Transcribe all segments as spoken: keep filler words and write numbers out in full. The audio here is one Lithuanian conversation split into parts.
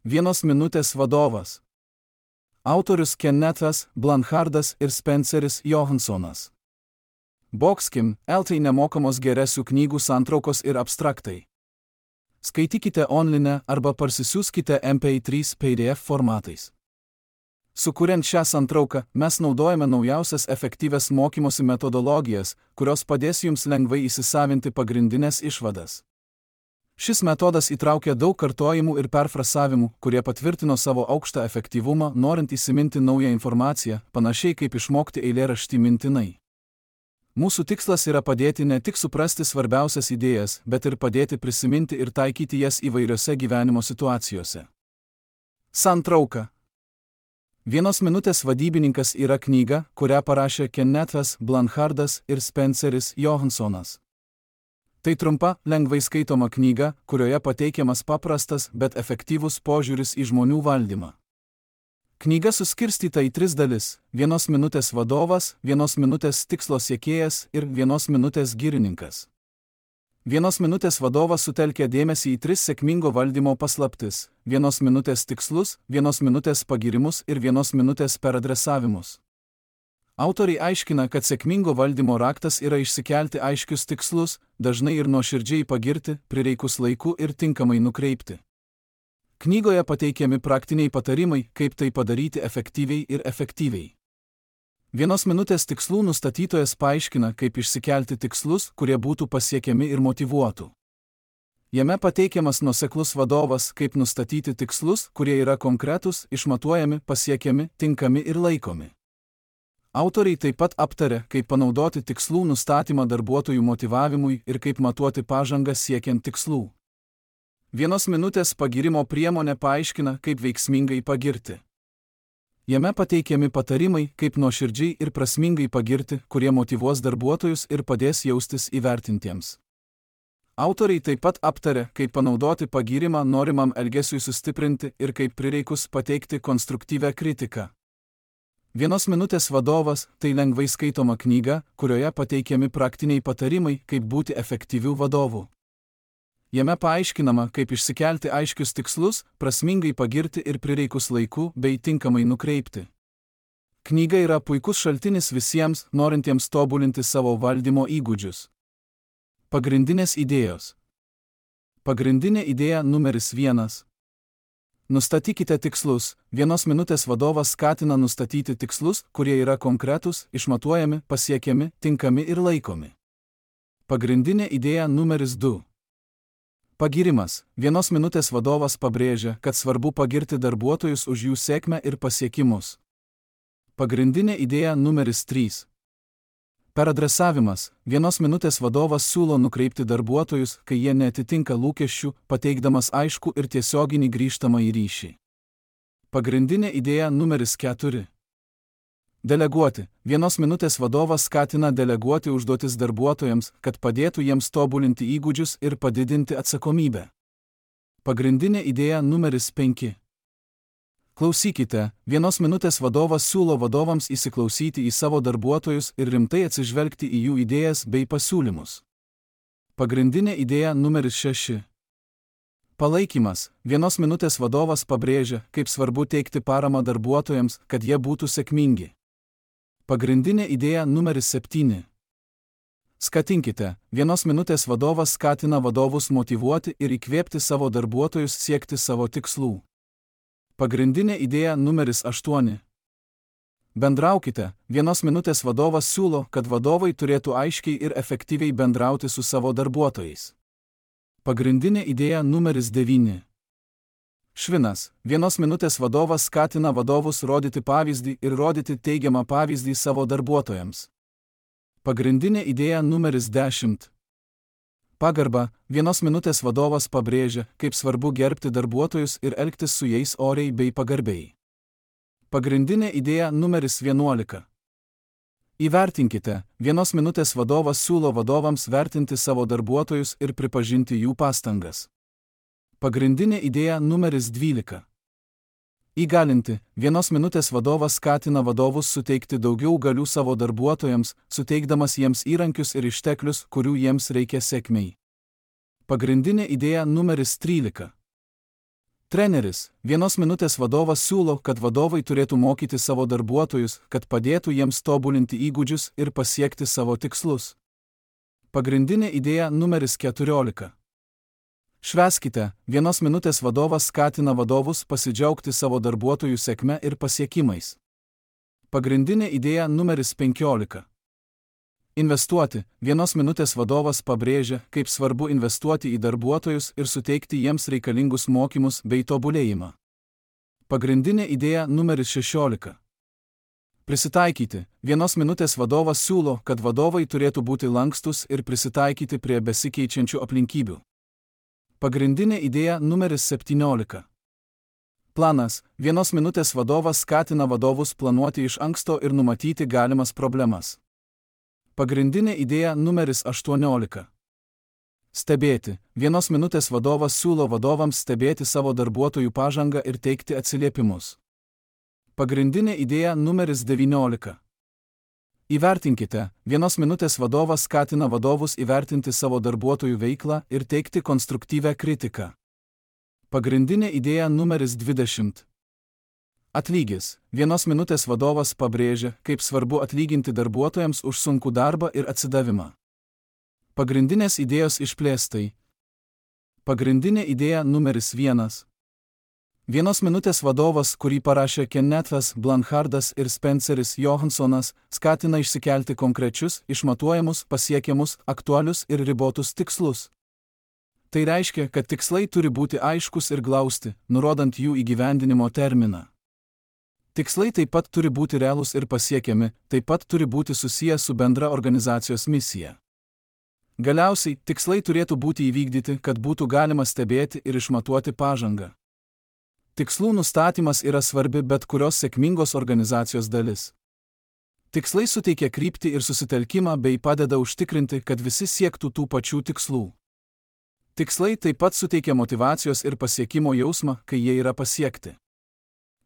Vienos minutės vadovas. Autorius Kennethas Blanchardas ir Spenceris Johansonas. Boxkim, L T nemokamos geresių knygų santraukos ir abstraktai. Skaitykite online arba parsisiųskite M P trys P D F formatais. Sukuriant šią santrauką, mes naudojame naujausias efektyvias mokymosi metodologijas, kurios padės jums lengvai įsisavinti pagrindinės išvadas. Šis metodas įtraukia daug kartojimų ir perfrasavimų, kurie patvirtino savo aukštą efektyvumą, norint įsiminti naują informaciją, panašiai kaip išmokti eilėraštį mintinai. Mūsų tikslas yra padėti ne tik suprasti svarbiausias idėjas, bet ir padėti prisiminti ir taikyti jas įvairiose gyvenimo situacijose. Santrauka. Vienos minutės vadybininkas yra knyga, kurią parašė Kennethas Blanchardas ir Spenceris Johansonas. Tai trumpa, lengvai skaitoma knyga, kurioje pateikiamas paprastas, bet efektyvus požiūris į žmonių valdymą. Knyga suskirstyta į tris dalis – vienos minutės vadovas, vienos minutės tikslo siekėjas ir vienos minutės girininkas. Vienos minutės vadovas sutelkia dėmesį į tris sėkmingo valdymo paslaptis – vienos minutės tikslus, vienos minutės pagirimus ir vienos minutės peradresavimus. Autoriai aiškina, kad sėkmingo valdymo raktas yra išsikelti aiškius tikslus, dažnai ir nuoširdžiai pagirti, prireikus laiku ir tinkamai nukreipti. Knygoje pateikiami praktiniai patarimai, kaip tai padaryti efektyviai ir efektyviai. Vienos minutės tikslų nustatytojas paaiškina, kaip išsikelti tikslus, kurie būtų pasiekiami ir motyvuotų. Jame pateikiamas nuoseklus vadovas, kaip nustatyti tikslus, kurie yra konkretūs, išmatuojami, pasiekiami, tinkami ir laikomi. Autoriai taip pat aptarė, kaip panaudoti tikslų nustatymą darbuotojų motyvavimui ir kaip matuoti pažangą siekiant tikslų. Vienos minutės pagirimo priemonė paaiškina, kaip veiksmingai pagirti. Jame pateikiami patarimai, kaip nuoširdžiai ir prasmingai pagirti, kurie motyvuos darbuotojus ir padės jaustis įvertintiems. Autoriai taip pat aptarė, kaip panaudoti pagyrimą norimam elgesiui sustiprinti ir kaip prireikus pateikti konstruktyvią kritiką. Vienos minutės vadovas – tai lengvai skaitoma knyga, kurioje pateikiami praktiniai patarimai, kaip būti efektyvių vadovų. Jame paaiškinama, kaip išsikelti aiškius tikslus, prasmingai pagirti ir prireikus laiku bei tinkamai nukreipti. Knyga yra puikus šaltinis visiems, norintiems tobulinti savo valdymo įgūdžius. Pagrindinės idėjos. Pagrindinė idėja numeris vienas. Nustatykite tikslus. Vienos minutės vadovas skatina nustatyti tikslus, kurie yra konkretūs, išmatuojami, pasiekiami, tinkami ir laikomi. Pagrindinė idėja numeris du. Pagirimas. Vienos minutės vadovas pabrėžia, kad svarbu pagirti darbuotojus už jų sėkmę ir pasiekimus. Pagrindinė idėja numeris trys. Peradresavimas. Vienos minutės vadovas siūlo nukreipti darbuotojus, kai jie neatitinka lūkesčių, pateikdamas aiškų ir tiesioginį grįžtamąjį ryšį. Pagrindinė idėja numeris keturi. Deleguoti. Vienos minutės vadovas skatina deleguoti užduotis darbuotojams, kad padėtų jiems tobulinti įgūdžius ir padidinti atsakomybę. Pagrindinė idėja numeris penki. Klausykite, vienos minutės vadovas siūlo vadovams įsiklausyti į savo darbuotojus ir rimtai atsižvelgti į jų idėjas bei pasiūlymus. Pagrindinė idėja numeris šeši. Palaikymas. Vienos minutės vadovas pabrėžia, kaip svarbu teikti paramą darbuotojams, kad jie būtų sėkmingi. Pagrindinė idėja numeris septyni. Skatinkite. Vienos minutės vadovas skatina vadovus motyvuoti ir įkvėpti savo darbuotojus siekti savo tikslų. Pagrindinė idėja numeris aštuoni. Bendraukite. Vienos minutės vadovas siūlo, kad vadovai turėtų aiškiai ir efektyviai bendrauti su savo darbuotojais. Pagrindinė idėja numeris devyni. Švinas. Vienos minutės vadovas skatina vadovus rodyti pavyzdį ir rodyti teigiamą pavyzdį savo darbuotojams. Pagrindinė idėja numeris dešimt. Pagarba. Vienos minutės vadovas pabrėžia, kaip svarbu gerbti darbuotojus ir elgtis su jais oriai bei pagarbiai. Pagrindinė idėja numeris vienuolika. Įvertinkite. Vienos minutės vadovas siūlo vadovams vertinti savo darbuotojus ir pripažinti jų pastangas. Pagrindinė idėja numeris dvylika. Įgalinti. Vienos minutės vadovas skatina vadovus suteikti daugiau galių savo darbuotojams, suteikdamas jiems įrankius ir išteklius, kurių jiems reikia sėkmei. Pagrindinė idėja numeris trylika. Treneris, vienos minutės vadovas siūlo, kad vadovai turėtų mokyti savo darbuotojus, kad padėtų jiems tobulinti įgūdžius ir pasiekti savo tikslus. Pagrindinė idėja numeris keturiolika. Švęskite, vienos minutės vadovas skatina vadovus pasidžiaugti savo darbuotojų sėkme ir pasiekimais. Pagrindinė idėja numeris penkiolika. Investuoti, vienos minutės vadovas pabrėžia, kaip svarbu investuoti į darbuotojus ir suteikti jiems reikalingus mokymus bei tobulėjimą. Pagrindinė idėja numeris šešiolika. Prisitaikyti, vienos minutės vadovas siūlo, kad vadovai turėtų būti lankstus ir prisitaikyti prie besikeičiančių aplinkybių. Pagrindinė idėja numeris septyniolika. Planas, vienos minutės vadovas skatina vadovus planuoti iš anksto ir numatyti galimas problemas. Pagrindinė idėja numeris aštuoniolika. Stebėti, vienos minutės vadovas siūlo vadovams stebėti savo darbuotojų pažangą ir teikti atsiliepimus. Pagrindinė idėja numeris devyniolika. Įvertinkite, vienos minutės vadovas skatina vadovus įvertinti savo darbuotojų veiklą ir teikti konstruktyvią kritiką. Pagrindinė idėja numeris dvidešimt. Atlygis, vienos minutės vadovas pabrėžia, kaip svarbu atlyginti darbuotojams už sunkų darbą ir atsidavimą. Pagrindinės idėjos išplėstai. Pagrindinė idėja numeris vienas. Vienos minutės vadovas, kurį parašė Kennethas Blanchardas ir Spenceris Johansonas, skatina išsikelti konkrečius, išmatuojamus, pasiekiamus, aktualius ir ribotus tikslus. Tai reiškia, kad tikslai turi būti aiškus ir glausti, nurodant jų įgyvendinimo terminą. Tikslai taip pat turi būti realūs ir pasiekiami, taip pat turi būti susiję su bendra organizacijos misija. Galiausiai, tikslai turėtų būti įvykdyti, kad būtų galima stebėti ir išmatuoti pažangą. Tikslų nustatymas yra svarbi bet kurios sėkmingos organizacijos dalis. Tikslai suteikia kryptį ir susitelkimą bei padeda užtikrinti, kad visi siektų tų pačių tikslų. Tikslai taip pat suteikia motyvacijos ir pasiekimo jausmą, kai jie yra pasiekti.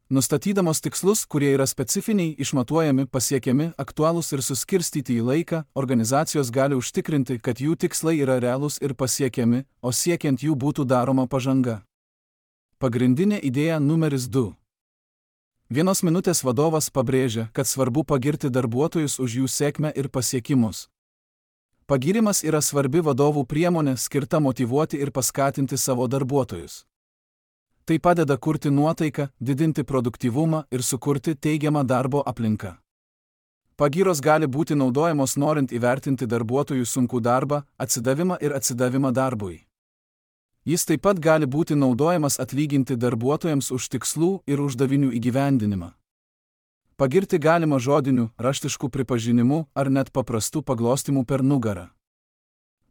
Nustatydamos tikslus, kurie yra specifiniai, išmatuojami, pasiekiami, aktualūs ir suskirstyti į laiką, organizacijos gali užtikrinti, kad jų tikslai yra realūs ir pasiekiami, o siekiant jų būtų daroma pažanga. Pagrindinė idėja numeris du. Vienos minutės vadovas pabrėžia, kad svarbu pagirti darbuotojus už jų sėkmę ir pasiekimus. Pagirimas yra svarbi vadovų priemonė skirta motyvuoti ir paskatinti savo darbuotojus. Tai padeda kurti nuotaiką, didinti produktyvumą ir sukurti teigiamą darbo aplinką. Pagyros gali būti naudojamos norint įvertinti darbuotojų sunkų darbą, atsidavimą ir atsidavimą darbui. Jis taip pat gali būti naudojamas atlyginti darbuotojams už tikslų ir uždavinių įgyvendinimą. Pagirti galima žodiniu, raštišku pripažinimu ar net paprastu paglostimu per nugarą.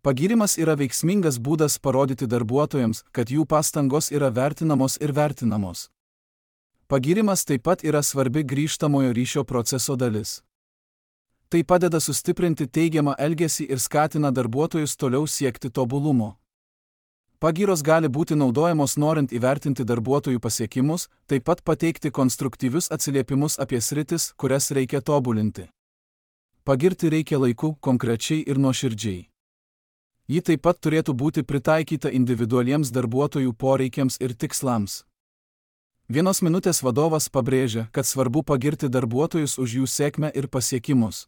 Pagyrimas yra veiksmingas būdas parodyti darbuotojams, kad jų pastangos yra vertinamos ir vertinamos. Pagyrimas taip pat yra svarbi grįžtamojo ryšio proceso dalis. Tai padeda sustiprinti teigiamą elgesį ir skatina darbuotojus toliau siekti tobulumo. Pagyros gali būti naudojamos norint įvertinti darbuotojų pasiekimus, taip pat pateikti konstruktyvius atsiliepimus apie sritis, kurias reikia tobulinti. Pagirti reikia laiku, konkrečiai ir nuoširdžiai. Ji taip pat turėtų būti pritaikyta individualiems darbuotojų poreikiams ir tikslams. Vienos minutės vadovas pabrėžia, kad svarbu pagirti darbuotojus už jų sėkmę ir pasiekimus.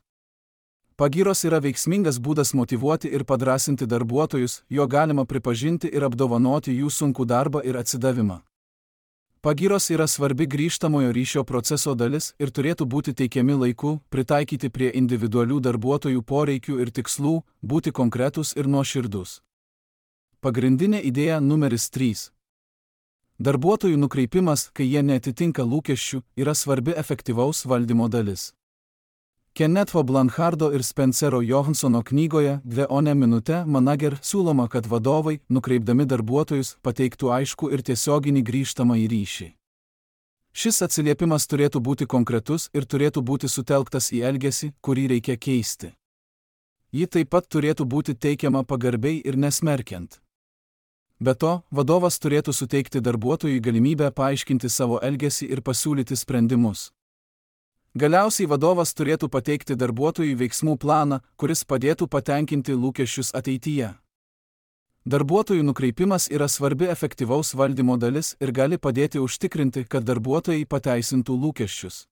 Pagyros yra veiksmingas būdas motyvuoti ir padrasinti darbuotojus, jo galima pripažinti ir apdovanoti jų sunkų darbą ir atsidavimą. Pagyros yra svarbi grįžtamojo ryšio proceso dalis ir turėtų būti teikiami laiku, pritaikyti prie individualių darbuotojų poreikių ir tikslų, būti konkretūs ir nuoširdūs. Pagrindinė idėja numeris trys. Darbuotojų nukreipimas, kai jie neatitinka lūkesčių, yra svarbi efektyvaus valdymo dalis. Kennetho Blanchardo ir Spencero Johansono knygoje Dve one minute manager siūloma, kad vadovai, nukreipdami darbuotojus, pateiktų aiškų ir tiesioginį grįžtamąjį ryšį. Šis atsiliepimas turėtų būti konkretus ir turėtų būti sutelktas į elgesį, kurį reikia keisti. Ji taip pat turėtų būti teikiama pagarbiai ir nesmerkiant. Be to, vadovas turėtų suteikti darbuotojui galimybę paaiškinti savo elgesį ir pasiūlyti sprendimus. Galiausiai vadovas turėtų pateikti darbuotojui veiksmų planą, kuris padėtų patenkinti lūkesčius ateityje. Darbuotojų nukreipimas yra svarbi efektyvaus valdymo dalis ir gali padėti užtikrinti, kad darbuotojai pateisintų lūkesčius.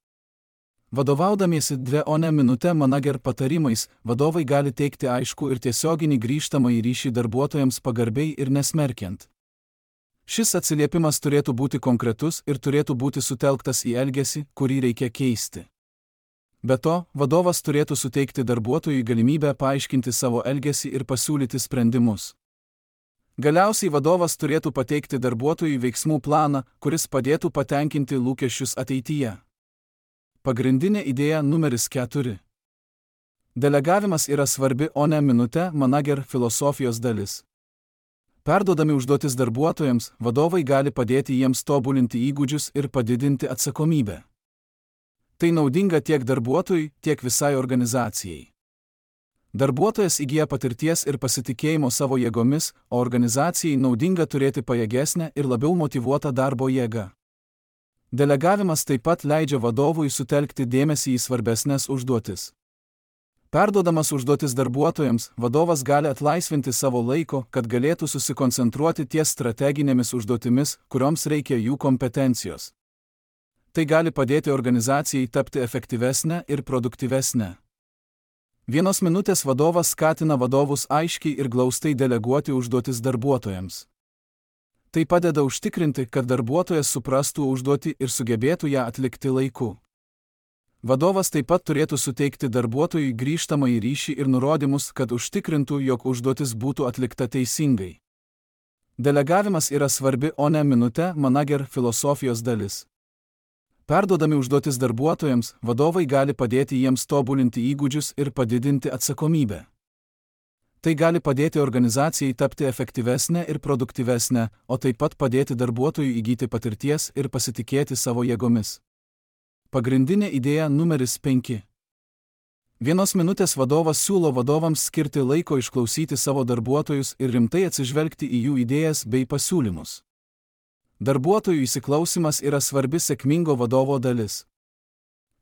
Vadovaudamiesi dvi o ne minutę manager patarimais, vadovai gali teikti aiškų ir tiesioginį grįžtamąjį ryšį darbuotojams pagarbiai ir nesmerkiant. Šis atsiliepimas turėtų būti konkretus ir turėtų būti sutelktas į elgesį, kurį reikia keisti. Be to, vadovas turėtų suteikti darbuotojui galimybę paaiškinti savo elgesį ir pasiūlyti sprendimus. Galiausiai vadovas turėtų pateikti darbuotojui veiksmų planą, kuris padėtų patenkinti lūkesčius ateityje. Pagrindinė idėja numeris keturi. Delegavimas yra svarbi o ne minutę manager filosofijos dalis. Perduodami užduotis darbuotojams, vadovai gali padėti jiems tobulinti įgūdžius ir padidinti atsakomybę. Tai naudinga tiek darbuotojui, tiek visai organizacijai. Darbuotojas įgyja patirties ir pasitikėjimo savo jėgomis, o organizacijai naudinga turėti pajėgesnę ir labiau motyvuotą darbo jėgą. Delegavimas taip pat leidžia vadovui sutelkti dėmesį į svarbesnės užduotis. Perduodamas užduotis darbuotojams, vadovas gali atlaisvinti savo laiko, kad galėtų susikoncentruoti ties strateginėmis užduotimis, kurioms reikia jų kompetencijos. Tai gali padėti organizacijai tapti efektyvesnę ir produktyvesnę. Vienos minutės vadovas skatina vadovus aiškiai ir glaustai deleguoti užduotis darbuotojams. Tai padeda užtikrinti, kad darbuotojas suprastų užduotį ir sugebėtų ją atlikti laiku. Vadovas taip pat turėtų suteikti darbuotojui grįžtamąjį ryšį ir nurodymus, kad užtikrintų, jog užduotis būtų atlikta teisingai. Delegavimas yra svarbi o ne minutę manager filosofijos dalis. Perduodami užduotis darbuotojams, vadovai gali padėti jiems tobulinti įgūdžius ir padidinti atsakomybę. Tai gali padėti organizacijai tapti efektyvesnę ir produktyvesnę, o taip pat padėti darbuotojui įgyti patirties ir pasitikėti savo jėgomis. Pagrindinė idėja numeris penki. Vienos minutės vadovas siūlo vadovams skirti laiko išklausyti savo darbuotojus ir rimtai atsižvelgti į jų idėjas bei pasiūlymus. Darbuotojų įsiklausimas yra svarbi sėkmingo vadovo dalis.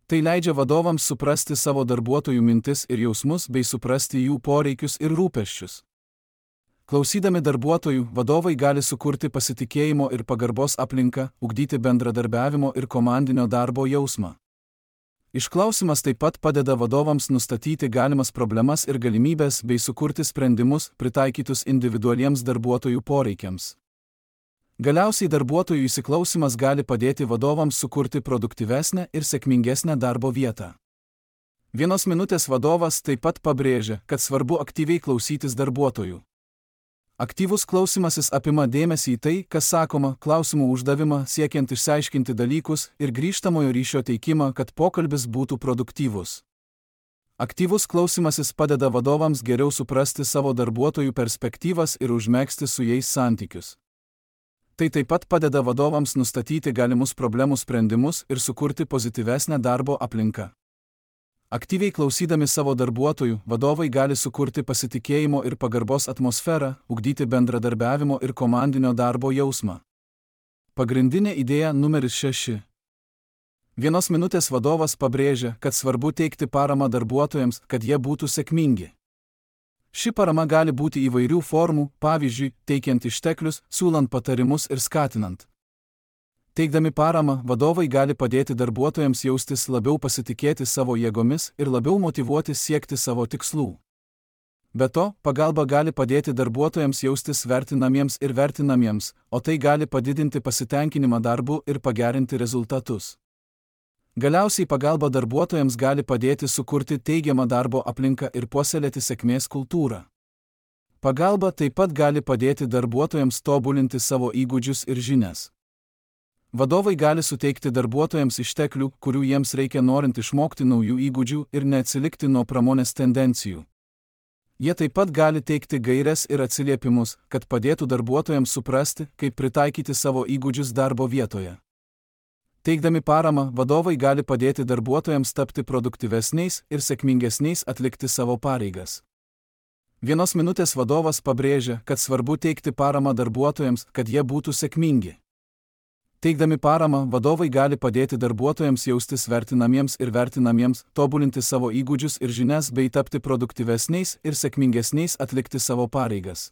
Tai leidžia vadovams suprasti savo darbuotojų mintis ir jausmus bei suprasti jų poreikius ir rūpesčius. Klausydami darbuotojų, vadovai gali sukurti pasitikėjimo ir pagarbos aplinką, ugdyti bendradarbiavimo ir komandinio darbo jausmą. Išklausimas taip pat padeda vadovams nustatyti galimas problemas ir galimybes bei sukurti sprendimus, pritaikytus individualiems darbuotojų poreikiams. Galiausiai darbuotojų įsiklausimas gali padėti vadovams sukurti produktyvesnę ir sėkmingesnę darbo vietą. Vienos minutės vadovas taip pat pabrėžia, kad svarbu aktyviai klausytis darbuotojų. Aktyvus klausimasis apima dėmesį į tai, kas sakoma, klausimų uždavimą siekiant išsiaiškinti dalykus ir grįžtamojo ryšio teikimą, kad pokalbis būtų produktyvus. Aktyvus klausimasis padeda vadovams geriau suprasti savo darbuotojų perspektyvas ir užmegzti su jais santykius. Tai taip pat padeda vadovams nustatyti galimus problemų sprendimus ir sukurti pozityvesnę darbo aplinką. Aktyviai klausydami savo darbuotojų, vadovai gali sukurti pasitikėjimo ir pagarbos atmosferą, ugdyti bendradarbiavimo ir komandinio darbo jausmą. Pagrindinė idėja numeris šeši. Vienos minutės vadovas pabrėžia, kad svarbu teikti paramą darbuotojams, kad jie būtų sėkmingi. Ši parama gali būti įvairių formų, pavyzdžiui, teikiant išteklius, siūlant patarimus ir skatinant. Teikdami paramą, vadovai gali padėti darbuotojams jaustis labiau pasitikėti savo jėgomis ir labiau motyvuoti siekti savo tikslų. Be to, pagalba gali padėti darbuotojams jaustis vertinamiems ir vertinamiems, o tai gali padidinti pasitenkinimą darbu ir pagerinti rezultatus. Galiausiai pagalba darbuotojams gali padėti sukurti teigiamą darbo aplinką ir puoselėti sėkmės kultūrą. Pagalba taip pat gali padėti darbuotojams tobulinti savo įgūdžius ir žinias. Vadovai gali suteikti darbuotojams išteklių, kurių jiems reikia norint išmokti naujų įgūdžių ir neatsilikti nuo pramonės tendencijų. Jie taip pat gali teikti gaires ir atsiliepimus, kad padėtų darbuotojams suprasti, kaip pritaikyti savo įgūdžius darbo vietoje. Teikdami paramą, vadovai gali padėti darbuotojams tapti produktyvesniais ir sėkmingesniais atlikti savo pareigas. Vienos minutės vadovas pabrėžia, kad svarbu teikti paramą darbuotojams, kad jie būtų sėkmingi. Teikdami paramą, vadovai gali padėti darbuotojams jaustis vertinamiems ir vertinamiems, tobulinti savo įgūdžius ir žinias bei tapti produktyvesniais ir sėkmingesniais atlikti savo pareigas.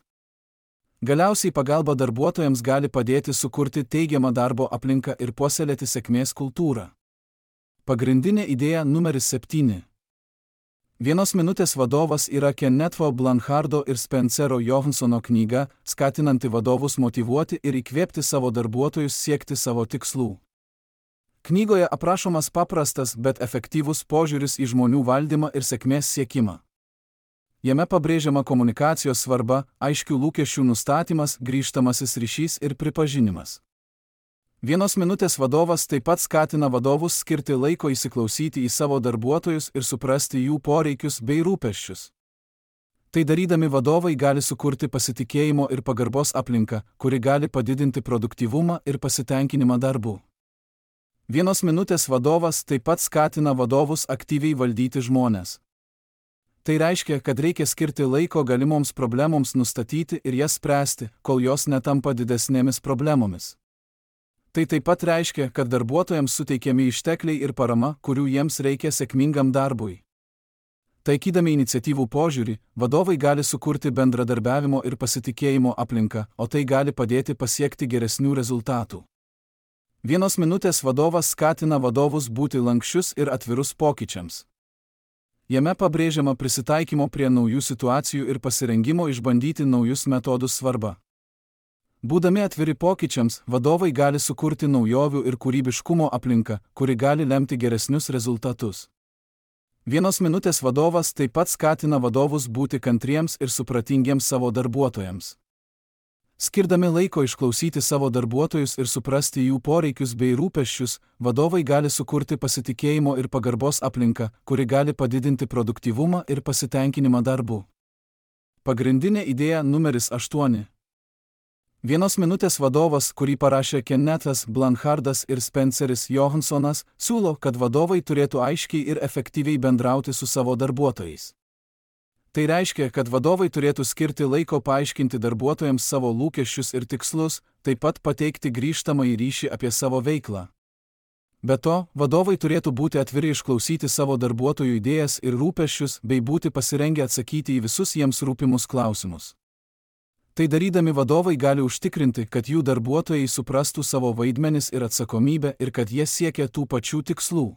Galiausiai pagalba darbuotojams gali padėti sukurti teigiamą darbo aplinką ir puoselėti sėkmės kultūrą. Pagrindinė idėja numeris septyni. Vienos minutės vadovas yra Kennetho Blanchardo ir Spencerio Johansono knyga, skatinanti vadovus motyvuoti ir įkvėpti savo darbuotojus siekti savo tikslų. Knygoje aprašomas paprastas, bet efektyvus požiūris į žmonių valdymą ir sėkmės siekimą. Jame pabrėžiama komunikacijos svarba, aiškių lūkesčių nustatymas, grįžtamasis ryšys ir pripažinimas. Vienos minutės vadovas taip pat skatina vadovus skirti laiko įsiklausyti į savo darbuotojus ir suprasti jų poreikius bei rūpesčius. Tai darydami vadovai gali sukurti pasitikėjimo ir pagarbos aplinką, kuri gali padidinti produktyvumą ir pasitenkinimą darbu. Vienos minutės vadovas taip pat skatina vadovus aktyviai valdyti žmones. Tai reiškia, kad reikia skirti laiko galimoms problemoms nustatyti ir jas spręsti, kol jos netampa didesnėmis problemomis. Tai taip pat reiškia, kad darbuotojams suteikiami ištekliai ir parama, kurių jiems reikia sėkmingam darbui. Taikydami iniciatyvų požiūrį, vadovai gali sukurti bendradarbiavimo ir pasitikėjimo aplinką, o tai gali padėti pasiekti geresnių rezultatų. Vienos minutės vadovas skatina vadovus būti lankščius ir atvirus pokyčiams. Jame pabrėžiama prisitaikymo prie naujų situacijų ir pasirengimo išbandyti naujus metodus svarba. Būdami atviri pokyčiams, vadovai gali sukurti naujovių ir kūrybiškumo aplinką, kuri gali lemti geresnius rezultatus. Vienos minutės vadovas taip pat skatina vadovus būti kantriems ir supratingiems savo darbuotojams. Skirdami laiko išklausyti savo darbuotojus ir suprasti jų poreikius bei rūpesčius, vadovai gali sukurti pasitikėjimo ir pagarbos aplinką, kuri gali padidinti produktyvumą ir pasitenkinimą darbu. Pagrindinė idėja numeris aštuoni. Vienos minutės vadovas, kurį parašė Kennethas Blanchardas ir Spenceris Johansonas, siūlo, kad vadovai turėtų aiškiai ir efektyviai bendrauti su savo darbuotojais. Tai reiškia, kad vadovai turėtų skirti laiko paaiškinti darbuotojams savo lūkesčius ir tikslus, taip pat pateikti grįžtamąjį ryšį apie savo veiklą. Be to, vadovai turėtų būti atviri išklausyti savo darbuotojų idėjas ir rūpesčius bei būti pasirengę atsakyti į visus jiems rūpimus klausimus. Tai darydami vadovai gali užtikrinti, kad jų darbuotojai suprastų savo vaidmenis ir atsakomybę ir kad jie siekia tų pačių tikslų.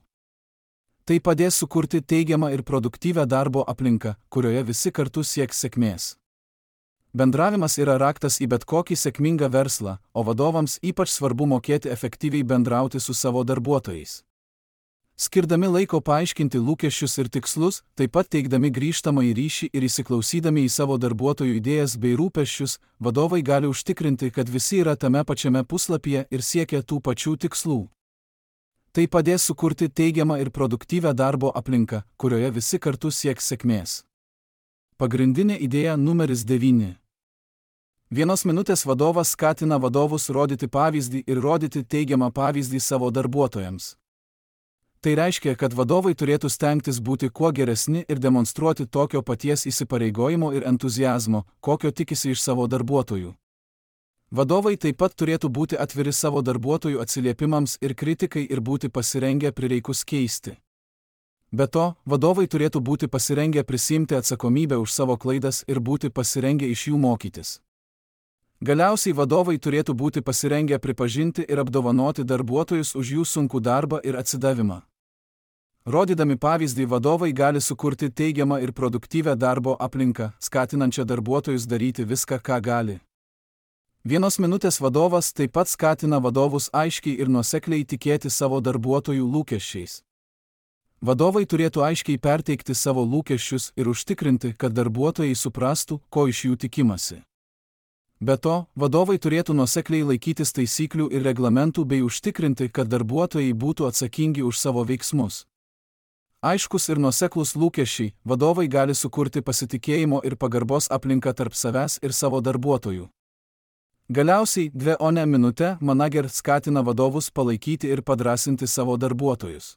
Tai padės sukurti teigiamą ir produktyvią darbo aplinką, kurioje visi kartu sieks sėkmės. Bendravimas yra raktas į bet kokį sėkmingą verslą, o vadovams ypač svarbu mokėti efektyviai bendrauti su savo darbuotojais. Skirdami laiko paaiškinti lūkesčius ir tikslus, taip pat teikdami grįžtamąjį ryšį ir įsiklausydami į savo darbuotojų idėjas bei rūpesčius, vadovai gali užtikrinti, kad visi yra tame pačiame puslapyje ir siekia tų pačių tikslų. Tai padės sukurti teigiamą ir produktyvią darbo aplinką, kurioje visi kartu sieks sėkmės. Pagrindinė idėja numeris devyni. Vienos minutės vadovas skatina vadovus rodyti pavyzdį ir rodyti teigiamą pavyzdį savo darbuotojams. Tai reiškia, kad vadovai turėtų stengtis būti kuo geresni ir demonstruoti tokio paties įsipareigojimo ir entuziazmo, kokio tikisi iš savo darbuotojų. Vadovai taip pat turėtų būti atviri savo darbuotojų atsiliepimams ir kritikai ir būti pasirengę prireikus keisti. Be to, vadovai turėtų būti pasirengę prisiimti atsakomybę už savo klaidas ir būti pasirengę iš jų mokytis. Galiausiai vadovai turėtų būti pasirengę pripažinti ir apdovanoti darbuotojus už jų sunkų darbą ir atsidavimą. Rodydami pavyzdį, vadovai gali sukurti teigiamą ir produktyvią darbo aplinką, skatinančią darbuotojus daryti viską, ką gali. Vienos minutės vadovas taip pat skatina vadovus aiškiai ir nuosekliai tikėti savo darbuotojų lūkesčiais. Vadovai turėtų aiškiai perteikti savo lūkesčius ir užtikrinti, kad darbuotojai suprastų, ko iš jų tikimasi. Be to, vadovai turėtų nuosekliai laikytis taisyklių ir reglamentų bei užtikrinti, kad darbuotojai būtų atsakingi už savo veiksmus. Aiškus ir nuoseklus lūkesčiai, vadovai gali sukurti pasitikėjimo ir pagarbos aplinką tarp savęs ir savo darbuotojų. Galiausiai, dvi o ne minutę, manager skatina vadovus palaikyti ir padrasinti savo darbuotojus.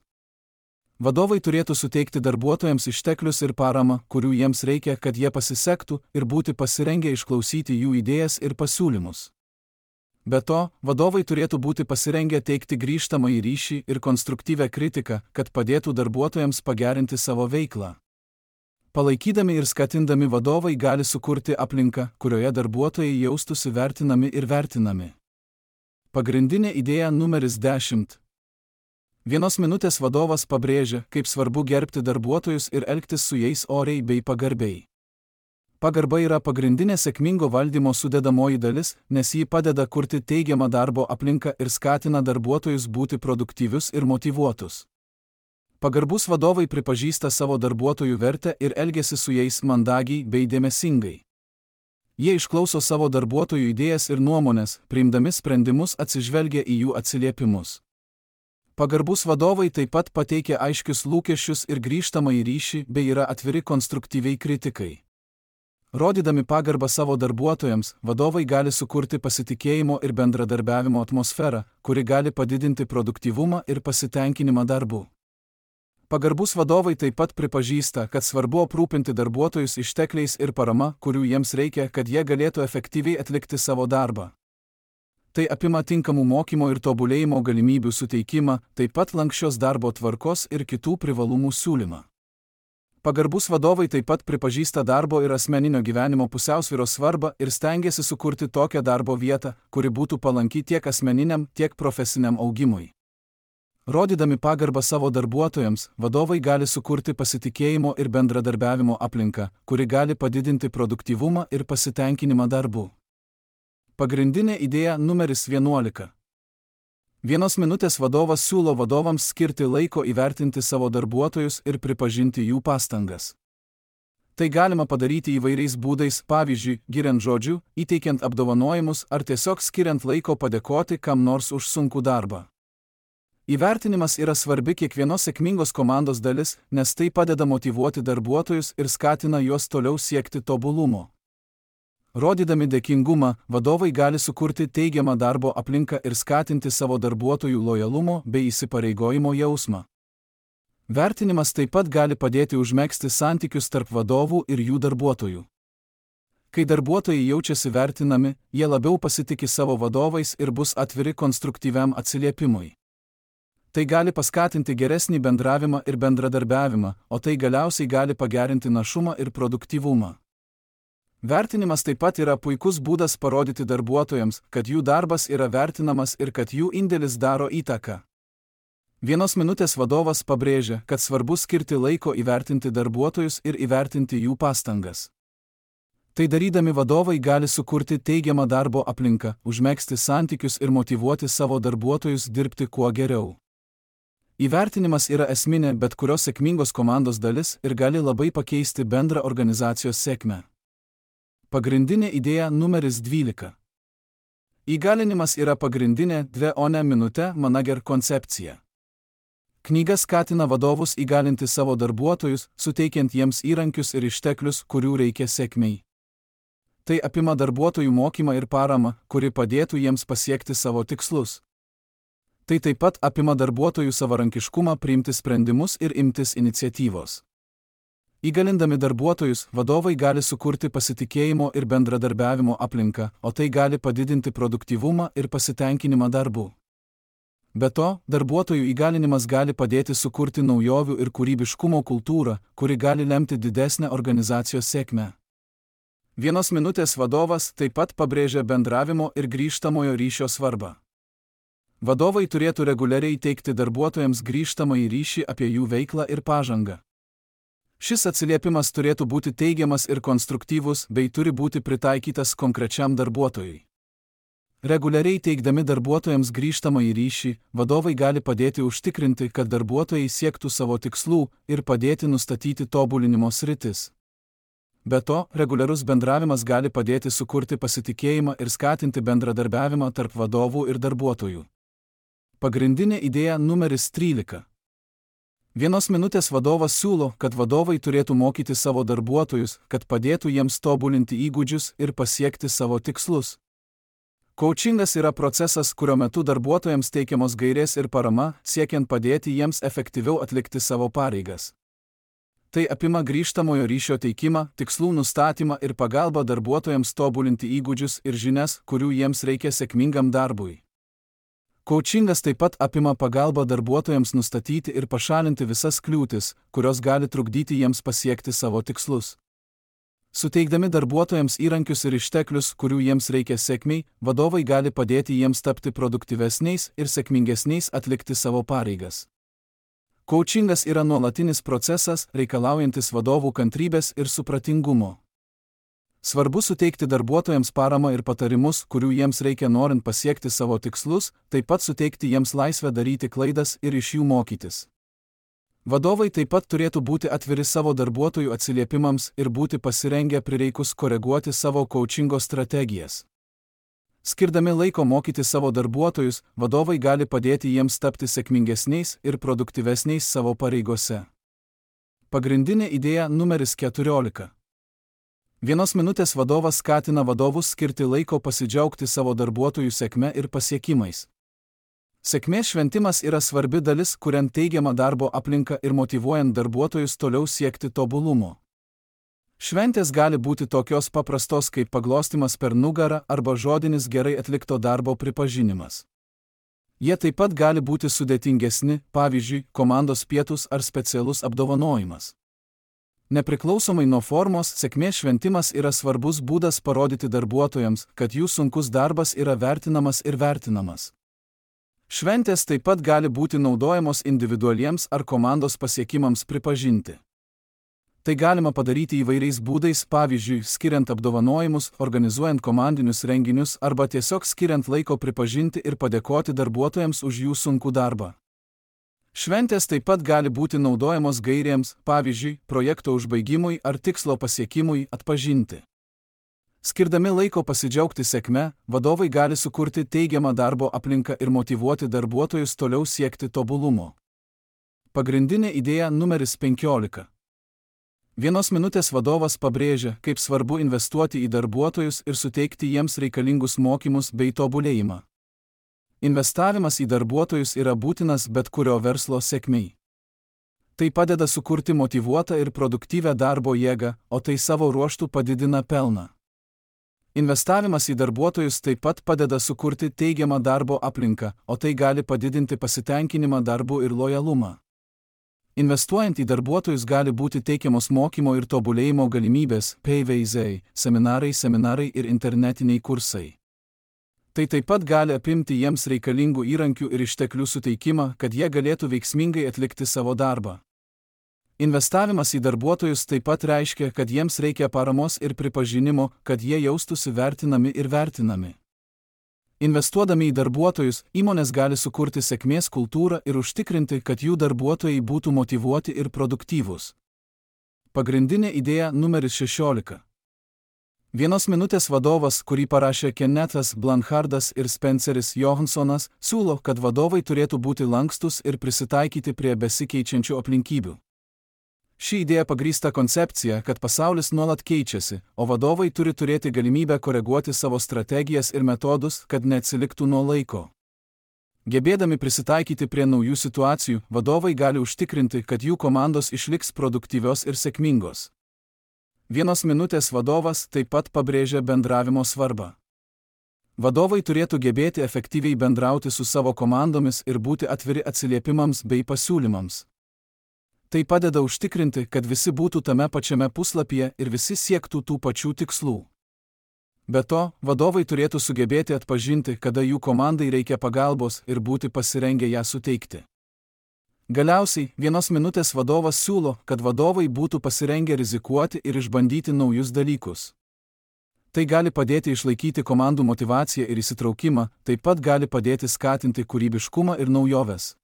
Vadovai turėtų suteikti darbuotojams išteklius ir paramą, kurių jiems reikia, kad jie pasisektų ir būti pasirengę išklausyti jų idėjas ir pasiūlymus. Be to, vadovai turėtų būti pasirengę teikti grįžtamąjį ryšį ir konstruktyvią kritiką, kad padėtų darbuotojams pagerinti savo veiklą. Palaikydami ir skatindami vadovai gali sukurti aplinką, kurioje darbuotojai jaustųsi vertinami ir vertinami. Pagrindinė idėja numeris dešimt. Vienos minutės vadovas pabrėžia, kaip svarbu gerbti darbuotojus ir elgtis su jais oriai bei pagarbiai. Pagarba yra pagrindinė sėkmingo valdymo sudedamoji dalis, nes ji padeda kurti teigiamą darbo aplinką ir skatina darbuotojus būti produktyvius ir motyvuotus. Pagarbus vadovai pripažįsta savo darbuotojų vertę ir elgiasi su jais mandagiai bei dėmesingai. Jie išklauso savo darbuotojų idėjas ir nuomonės, priimdami sprendimus atsižvelgia į jų atsiliepimus. Pagarbus vadovai taip pat pateikia aiškius lūkesčius ir grįžtamąjį ryšį bei yra atviri konstruktyviai kritikai. Rodydami pagarbą savo darbuotojams, vadovai gali sukurti pasitikėjimo ir bendradarbiavimo atmosferą, kuri gali padidinti produktyvumą ir pasitenkinimą darbu. Pagarbus vadovai taip pat pripažįsta, kad svarbu aprūpinti darbuotojus ištekliais ir parama, kurių jiems reikia, kad jie galėtų efektyviai atlikti savo darbą. Tai apima tinkamų mokymo ir tobulėjimo galimybių suteikimą, taip pat lanksčios darbo tvarkos ir kitų privalumų siūlymą. Pagarbus vadovai taip pat pripažįsta darbo ir asmeninio gyvenimo pusiausvyros svarbą ir stengiasi sukurti tokią darbo vietą, kuri būtų palanki tiek asmeniniam, tiek profesiniam augimui. Rodydami pagarbą savo darbuotojams, vadovai gali sukurti pasitikėjimo ir bendradarbiavimo aplinką, kuri gali padidinti produktyvumą ir pasitenkinimą darbu. Pagrindinė idėja numeris vienuolika. Vienos minutės vadovas siūlo vadovams skirti laiko įvertinti savo darbuotojus ir pripažinti jų pastangas. Tai galima padaryti įvairiais būdais, pavyzdžiui, giriant žodžiu, įteikiant apdovanojimus ar tiesiog skiriant laiko padėkoti kam nors už sunkų darbą. Įvertinimas yra svarbi kiekvienos sėkmingos komandos dalis, nes tai padeda motyvuoti darbuotojus ir skatina juos toliau siekti tobulumo. Rodydami dėkingumą, vadovai gali sukurti teigiamą darbo aplinką ir skatinti savo darbuotojų lojalumo bei įsipareigojimo jausmą. Vertinimas taip pat gali padėti užmegzti santykius tarp vadovų ir jų darbuotojų. Kai darbuotojai jaučiasi vertinami, jie labiau pasitiki savo vadovais ir bus atviri konstruktyviam atsiliepimui. Tai gali paskatinti geresnį bendravimą ir bendradarbiavimą, o tai galiausiai gali pagerinti našumą ir produktyvumą. Vertinimas taip pat yra puikus būdas parodyti darbuotojams, kad jų darbas yra vertinamas ir kad jų indėlis daro įtaką. Vienos minutės vadovas pabrėžia, kad svarbu skirti laiko įvertinti darbuotojus ir įvertinti jų pastangas. Tai darydami vadovai gali sukurti teigiamą darbo aplinką, užmegzti santykius ir motyvuoti savo darbuotojus dirbti kuo geriau. Įvertinimas yra esminė bet kurios sėkmingos komandos dalis ir gali labai pakeisti bendrą organizacijos sėkmę. Pagrindinė idėja numeris dvylika. Įgalinimas yra pagrindinė dve o ne minutė manager koncepcija. Knyga skatina vadovus įgalinti savo darbuotojus, suteikiant jiems įrankius ir išteklius, kurių reikia sėkmei. Tai apima darbuotojų mokymą ir paramą, kuri padėtų jiems pasiekti savo tikslus. Tai taip pat apima darbuotojų savarankiškumą priimti sprendimus ir imtis iniciatyvos. Įgalindami darbuotojus, vadovai gali sukurti pasitikėjimo ir bendradarbiavimo aplinką, o tai gali padidinti produktyvumą ir pasitenkinimą darbu. Be to, darbuotojų įgalinimas gali padėti sukurti naujovių ir kūrybiškumo kultūrą, kuri gali lemti didesnę organizacijos sėkmę. Vienos minutės vadovas taip pat pabrėžia bendravimo ir grįžtamojo ryšio svarbą. Vadovai turėtų reguliariai teikti darbuotojams grįžtamąjį ryšį apie jų veiklą ir pažangą. Šis atsiliepimas turėtų būti teigiamas ir konstruktyvus bei turi būti pritaikytas konkrečiam darbuotojui. Reguliariai teikdami darbuotojams grįžtamąjį ryšį, vadovai gali padėti užtikrinti, kad darbuotojai siektų savo tikslų ir padėti nustatyti tobulinimo sritis. Be to, reguliarus bendravimas gali padėti sukurti pasitikėjimą ir skatinti bendradarbiavimą tarp vadovų ir darbuotojų. Pagrindinė idėja numeris trylika. Vienos minutės vadovas siūlo, kad vadovai turėtų mokyti savo darbuotojus, kad padėtų jiems tobulinti įgūdžius ir pasiekti savo tikslus. Coachingas yra procesas, kurio metu darbuotojams teikiamos gairės ir parama, siekiant padėti jiems efektyviau atlikti savo pareigas. Tai apima grįžtamojo ryšio teikimą, tikslų nustatymą ir pagalbą darbuotojams tobulinti įgūdžius ir žinias, kurių jiems reikia sėkmingam darbui. Coachingas taip pat apima pagalbą darbuotojams nustatyti ir pašalinti visas kliūtis, kurios gali trukdyti jiems pasiekti savo tikslus. Suteikdami darbuotojams įrankius ir išteklius, kurių jiems reikia sėkmiai, vadovai gali padėti jiems tapti produktyvesniais ir sėkmingesniais atlikti savo pareigas. Coachingas yra nuolatinis procesas, reikalaujantis vadovų kantrybės ir supratingumo. Svarbu suteikti darbuotojams paramą ir patarimus, kurių jiems reikia norint pasiekti savo tikslus, taip pat suteikti jiems laisvę daryti klaidas ir iš jų mokytis. Vadovai taip pat turėtų būti atviri savo darbuotojų atsiliepimams ir būti pasirengę prireikus koreguoti savo coachingo strategijas. Skirdami laiko mokyti savo darbuotojus, vadovai gali padėti jiems tapti sėkmingesniais ir produktyvesniais savo pareigose. Pagrindinė idėja numeris keturiolika. Vienos minutės vadovas skatina vadovus skirti laiko pasidžiaugti savo darbuotojų sėkme ir pasiekimais. Sėkmės šventimas yra svarbi dalis, kuriant teigiamą darbo aplinką ir motyvuojant darbuotojus toliau siekti tobulumo. Šventės gali būti tokios paprastos kaip paglostimas per nugarą arba žodinis gerai atlikto darbo pripažinimas. Jie taip pat gali būti sudėtingesni, pavyzdžiui, komandos pietus ar specialus apdovanojimas. Nepriklausomai nuo formos, sėkmės šventimas yra svarbus būdas parodyti darbuotojams, kad jų sunkus darbas yra vertinamas ir vertinamas. Šventės taip pat gali būti naudojamos individualiems ar komandos pasiekimams pripažinti. Tai galima padaryti įvairiais būdais, pavyzdžiui, skiriant apdovanojimus, organizuojant komandinius renginius arba tiesiog skiriant laiko pripažinti ir padėkoti darbuotojams už jų sunkų darbą. Šventės taip pat gali būti naudojamos gairėms, pavyzdžiui, projekto užbaigimui ar tikslo pasiekimui atpažinti. Skirdami laiko pasidžiaugti sėkme, vadovai gali sukurti teigiamą darbo aplinką ir motyvuoti darbuotojus toliau siekti tobulumo. Pagrindinė idėja numeris penkiolika. Vienos minutės vadovas pabrėžia, kaip svarbu investuoti į darbuotojus ir suteikti jiems reikalingus mokymus bei tobulėjimą. Investavimas į darbuotojus yra būtinas bet kurio verslo sėkmei. Tai padeda sukurti motyvuotą ir produktyvią darbo jėgą, o tai savo ruožtu padidina pelną. Investavimas į darbuotojus taip pat padeda sukurti teigiamą darbo aplinką, o tai gali padidinti pasitenkinimą darbu ir lojalumą. Investuojant į darbuotojus gali būti teikiamos mokymo ir tobulėjimo galimybės, P V Z, seminarai, seminarai ir internetiniai kursai. Tai taip pat gali apimti jiems reikalingų įrankių ir išteklių suteikimą, kad jie galėtų veiksmingai atlikti savo darbą. Investavimas į darbuotojus taip pat reiškia, kad jiems reikia paramos ir pripažinimo, kad jie jaustųsi vertinami ir vertinami. Investuodami į darbuotojus, įmonės gali sukurti sėkmės kultūrą ir užtikrinti, kad jų darbuotojai būtų motyvuoti ir produktyvūs. Pagrindinė idėja numeris šešiolika. Vienos minutės vadovas, kurį parašė Kennethas Blanchardas ir Spenceris Johansonas, siūlo, kad vadovai turėtų būti lankstus ir prisitaikyti prie besikeičiančių aplinkybių. Ši idėja pagrįsta koncepcija, kad pasaulis nuolat keičiasi, o vadovai turi turėti galimybę koreguoti savo strategijas ir metodus, kad neatsiliktų nuo laiko. Gebėdami prisitaikyti prie naujų situacijų, vadovai gali užtikrinti, kad jų komandos išliks produktyvios ir sėkmingos. Vienos minutės vadovas taip pat pabrėžia bendravimo svarbą. Vadovai turėtų gebėti efektyviai bendrauti su savo komandomis ir būti atviri atsiliepimams bei pasiūlymams. Tai padeda užtikrinti, kad visi būtų tame pačiame puslapyje ir visi siektų tų pačių tikslų. Be to, vadovai turėtų sugebėti atpažinti, kada jų komandai reikia pagalbos ir būti pasirengę ją suteikti. Galiausiai, vienos minutės vadovas siūlo, kad vadovai būtų pasirengę rizikuoti ir išbandyti naujus dalykus. Tai gali padėti išlaikyti komandų motyvaciją ir įsitraukimą, taip pat gali padėti skatinti kūrybiškumą ir naujoves.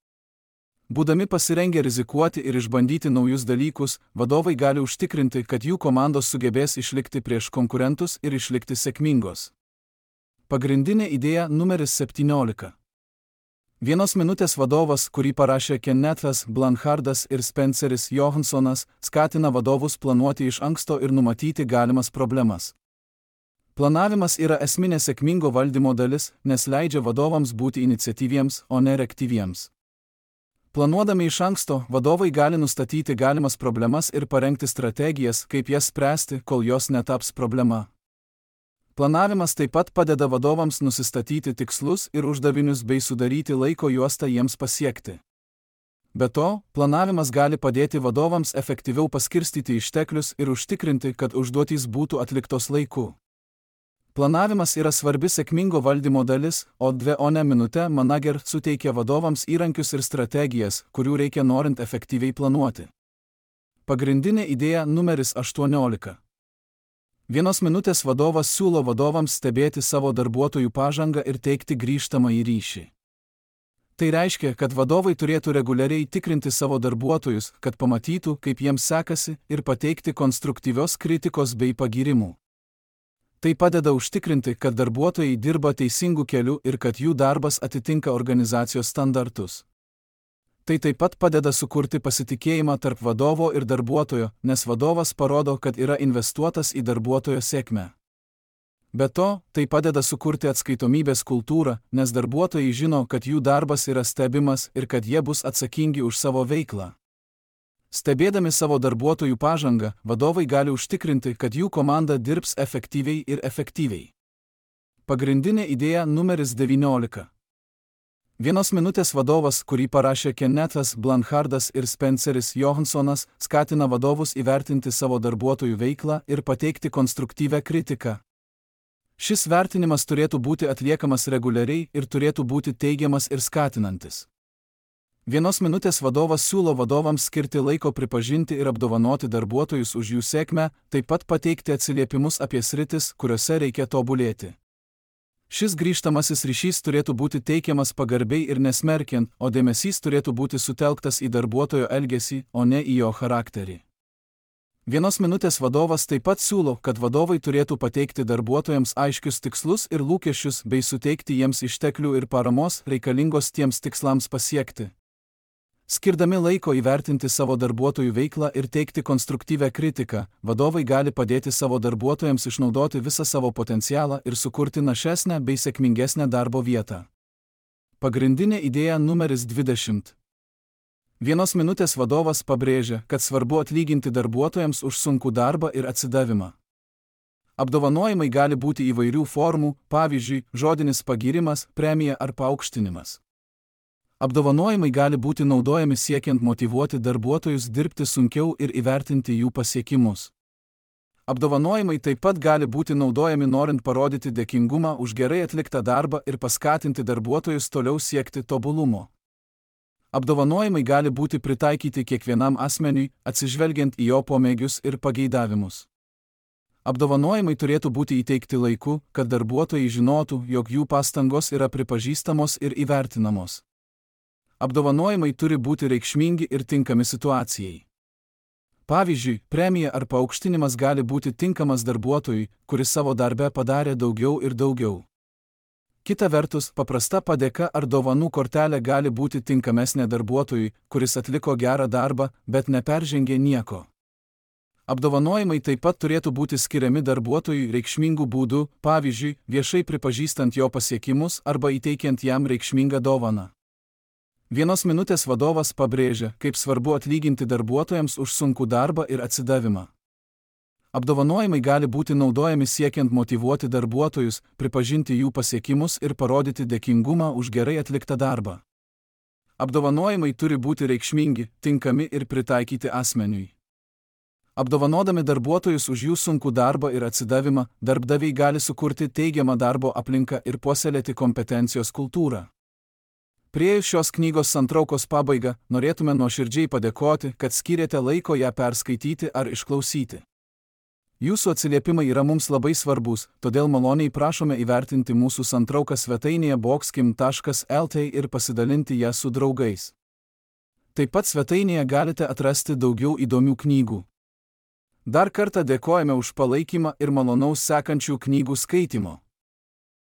Būdami pasirengę rizikuoti ir išbandyti naujus dalykus, vadovai gali užtikrinti, kad jų komandos sugebės išlikti prieš konkurentus ir išlikti sėkmingos. Pagrindinė idėja numeris septyniolika. Vienos minutės vadovas, kurį parašė Kennethas Blanchardas ir Spenceris Johansonas, skatina vadovus planuoti iš anksto ir numatyti galimas problemas. Planavimas yra esminė sėkmingo valdymo dalis, nes leidžia vadovams būti iniciatyviems, o ne reaktyviems. Planuodami iš anksto, vadovai gali nustatyti galimas problemas ir parengti strategijas, kaip jas spręsti, kol jos netaps problema. Planavimas taip pat padeda vadovams nusistatyti tikslus ir uždavinius bei sudaryti laiko juostą jiems pasiekti. Be to, planavimas gali padėti vadovams efektyviau paskirstyti išteklius ir užtikrinti, kad užduotys būtų atliktos laiku. Planavimas yra svarbi sėkmingo valdymo dalis, o dvi o ne minutė manager suteikia vadovams įrankius ir strategijas, kurių reikia norint efektyviai planuoti. Pagrindinė idėja numeris aštuoniolika. Vienos minutės vadovas siūlo vadovams stebėti savo darbuotojų pažangą ir teikti grįžtamąjį ryšį. Tai reiškia, kad vadovai turėtų reguliariai tikrinti savo darbuotojus, kad pamatytų, kaip jiems sekasi, ir pateikti konstruktyvios kritikos bei pagyrimų. Tai padeda užtikrinti, kad darbuotojai dirba teisingų kelių ir kad jų darbas atitinka organizacijos standartus. Tai taip pat padeda sukurti pasitikėjimą tarp vadovo ir darbuotojo, nes vadovas parodo, kad yra investuotas į darbuotojo sėkmę. Be to, tai padeda sukurti atskaitomybės kultūrą, nes darbuotojai žino, kad jų darbas yra stebimas ir kad jie bus atsakingi už savo veiklą. Stebėdami savo darbuotojų pažangą, vadovai gali užtikrinti, kad jų komanda dirbs efektyviai ir efektyviai. Pagrindinė idėja numeris devyniolika. Vienos minutės vadovas, kurį parašė Kennethas Blancardas ir Spenceris Johansonas, skatina vadovus įvertinti savo darbuotojų veiklą ir pateikti konstruktyvią kritiką. Šis vertinimas turėtų būti atliekamas reguliariai ir turėtų būti teigiamas ir skatinantis. Vienos minutės vadovas siūlo vadovams skirti laiko pripažinti ir apdovanoti darbuotojus už jų sėkmę, taip pat pateikti atsiliepimus apie sritis, kuriuose reikia tobulėti. Šis grįžtamasis ryšys turėtų būti teikiamas pagarbiai ir nesmerkiant, o dėmesys turėtų būti sutelktas į darbuotojo elgesį, o ne į jo charakterį. Vienos minutės vadovas taip pat siūlo, kad vadovai turėtų pateikti darbuotojams aiškius tikslus ir lūkesčius bei suteikti jiems išteklių ir paramos reikalingos tiems tikslams pasiekti. Skirdami laiko įvertinti savo darbuotojų veiklą ir teikti konstruktyvią kritiką, vadovai gali padėti savo darbuotojams išnaudoti visą savo potencialą ir sukurti našesnę bei sėkmingesnę darbo vietą. Pagrindinė idėja numeris dvidešimt. Vienos minutės vadovas pabrėžia, kad svarbu atlyginti darbuotojams už sunkų darbą ir atsidavimą. Apdovanojimai gali būti įvairių formų, pavyzdžiui, žodinis pagyrimas, premija ar paaukštinimas. Apdovanojimai gali būti naudojami siekiant motyvuoti darbuotojus dirbti sunkiau ir įvertinti jų pasiekimus. Apdovanojimai taip pat gali būti naudojami norint parodyti dėkingumą už gerai atliktą darbą ir paskatinti darbuotojus toliau siekti tobulumo. Apdovanojimai gali būti pritaikyti kiekvienam asmeniui, atsižvelgiant į jo pomėgius ir pageidavimus. Apdovanojimai turėtų būti įteikti laiku, kad darbuotojai žinotų, jog jų pastangos yra pripažįstamos ir įvertinamos. Apdovanojimai turi būti reikšmingi ir tinkami situacijai. Pavyzdžiui, premija ar paaukštinimas gali būti tinkamas darbuotojui, kuris savo darbe padarė daugiau ir daugiau. Kita vertus, paprasta padėka ar dovanų kortelė gali būti tinkamesnė darbuotojui, kuris atliko gerą darbą, bet neperžengė nieko. Apdovanojimai taip pat turėtų būti skiriami darbuotojui reikšmingų būdų, pavyzdžiui, viešai pripažįstant jo pasiekimus arba įteikiant jam reikšmingą dovaną. Vienos minutės vadovas pabrėžia, kaip svarbu atlyginti darbuotojams už sunkų darbą ir atsidavimą. Apdovanojimai gali būti naudojami siekiant motyvuoti darbuotojus, pripažinti jų pasiekimus ir parodyti dėkingumą už gerai atliktą darbą. Apdovanojimai turi būti reikšmingi, tinkami ir pritaikyti asmeniui. Apdovanodami darbuotojus už jų sunkų darbą ir atsidavimą, darbdaviai gali sukurti teigiamą darbo aplinką ir puoselėti kompetencijos kultūrą. Priėjus šios knygos santraukos pabaigą, norėtume nuoširdžiai padėkoti, kad skyrėte laiko ją perskaityti ar išklausyti. Jūsų atsiliepimai yra mums labai svarbus, todėl maloniai prašome įvertinti mūsų santrauką svetainėje boxkim taškas lt ir pasidalinti ją su draugais. Taip pat svetainėje galite atrasti daugiau įdomių knygų. Dar kartą dėkojame už palaikymą ir malonaus sekančių knygų skaitimo.